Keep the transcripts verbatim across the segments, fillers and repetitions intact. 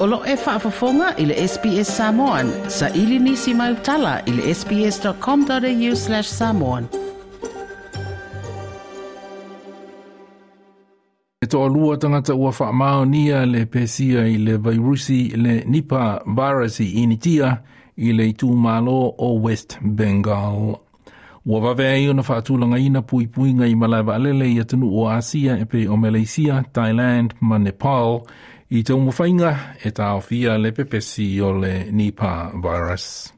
O lo e faafofoga i le S B S Samoan, sa ili nisi mai utala i le S B S dot com dot A U slash samoan. E toalua tagata ua faamaonia le pesia i le vairusi le Nipah virus i Initia i le itumalo o West Bengal. Ua vave ai ona faatulagaina puipuiga i malae vaalele i atunuu o Asia e pei o Malaysia, Thailand ma Nepal i taumafaiga e taofia le pepesi o le Nipah virus.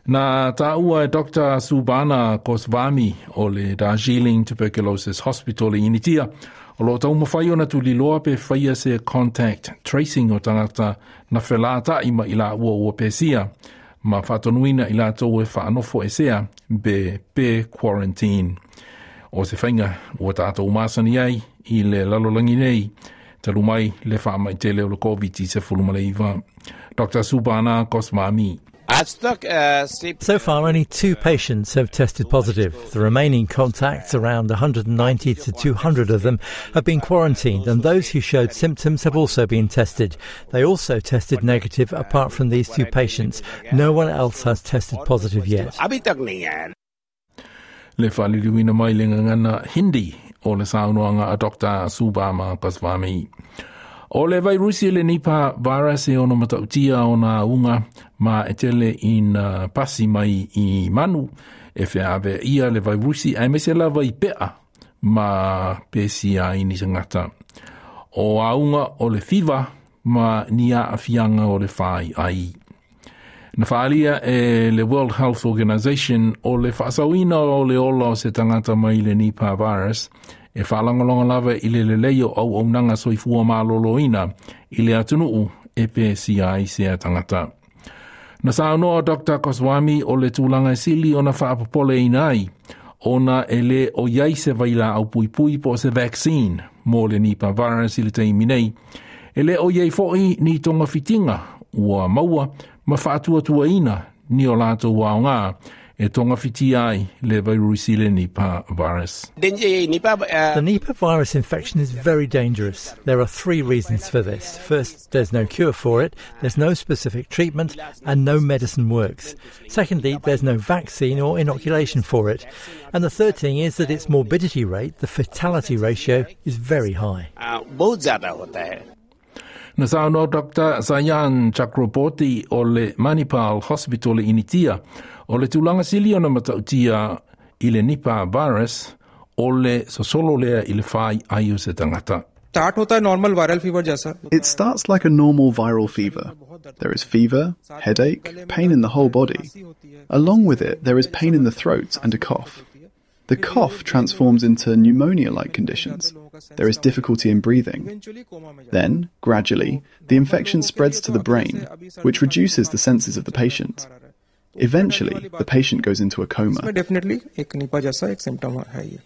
Na taua e Doctor Subana Goswami o le Darjeeling Tuberculosis Hospital i Initia, o lo taumafai ona tuliloa pe faia se contact tracing o tagata na felata'i ma i laua ua pesia, ma faatonuina i latou e faanofo esea pe pe quarantine. O se faiga ua tatou masani ai i le lalolagi nei, talu mai le faamaitele o le COVID nineteen. Doctor Subana Goswami. So far, only two patients have tested positive. The remaining contacts, around one hundred ninety to two hundred of them, have been quarantined, and those who showed symptoms have also been tested. They also tested negative apart from these two patients. No one else has tested positive yet. Le faaliliuina mai le gagana Hindi o le saunoaga a Doctor Subama Goswami. O le vairusi le Nipah virus e ono matautia ona auga ma e tele ina pasi mai i manu e feave ia le vairusi aemaise lava i pea ma pesia ai ni tagata. O auga o le fiva ma ni aafiaga o le fai ai. Na faalia e le World Health Organization o le faasaoina o le ola o se tagata mai le Nipah virus e faalagolago lava i le lelei o auaunaga soifua malōlōina i le atunuu e pesia ai sea tagata. Na saunoa Doctor Goswami o le tulaga e sili ona faapopoleina ai, ona e le o iai se vailaau puipui po o se vaccine mo le Nipah virus i le taimi nei. E le o iai fo'i ni togafitiga ua maua ma faatuatuaina ni o latou aoga e togafitia ai le vairusi le Nipah virus. The Nipah virus infection is very dangerous. There are three reasons for this. First, there's no cure for it, there's no specific treatment, and no medicine works. Secondly, there's no vaccine or inoculation for it. And the third thing is that its morbidity rate, the fatality ratio, is very high. Na saunoa Doctor Sayan Chakraborty o le Manipal Hospital i Initia, o le tulaga sili ona matautia i le Nipah virus o le sosolo lea i le fai ai o se tagata. Start होता है normal viral fever जैसा. It starts like a normal viral fever. There is fever, headache, pain in the whole body. Along with it, there is pain in the throat and a cough. The cough transforms into pneumonia like conditions. There is difficulty in breathing. Then, gradually, the infection spreads to the brain, which reduces the senses of the patient. Eventually, the patient goes into a coma. Definitely एक Nipah जैसा एक symptom है ये.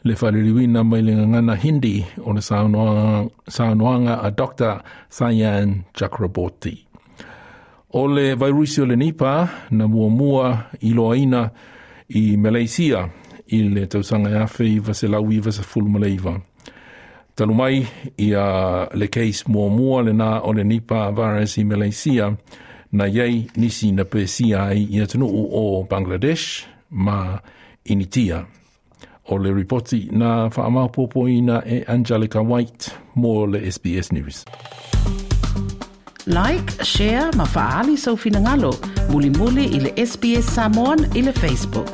Le faaliliuina mai le gagana Hindi o le saunoaga a Doctor Sayan Chakraborty. O le vairusi o le Nipah na muamua iloaina i Malaysia i le tausaga e afe iva selau iva sefulu ma le iva. Talu mai ia le case muamua lena o le Nipah virus i Malaysia, na iai nisi na pesia ai i atunuu o Bangladesh ma Initia. O le ripoti na faamaopoopoina e Angelica White mo le S B S News. Like, share ma faaali sou finagalo. Mulimuli i le S B S Samoan i le Facebook.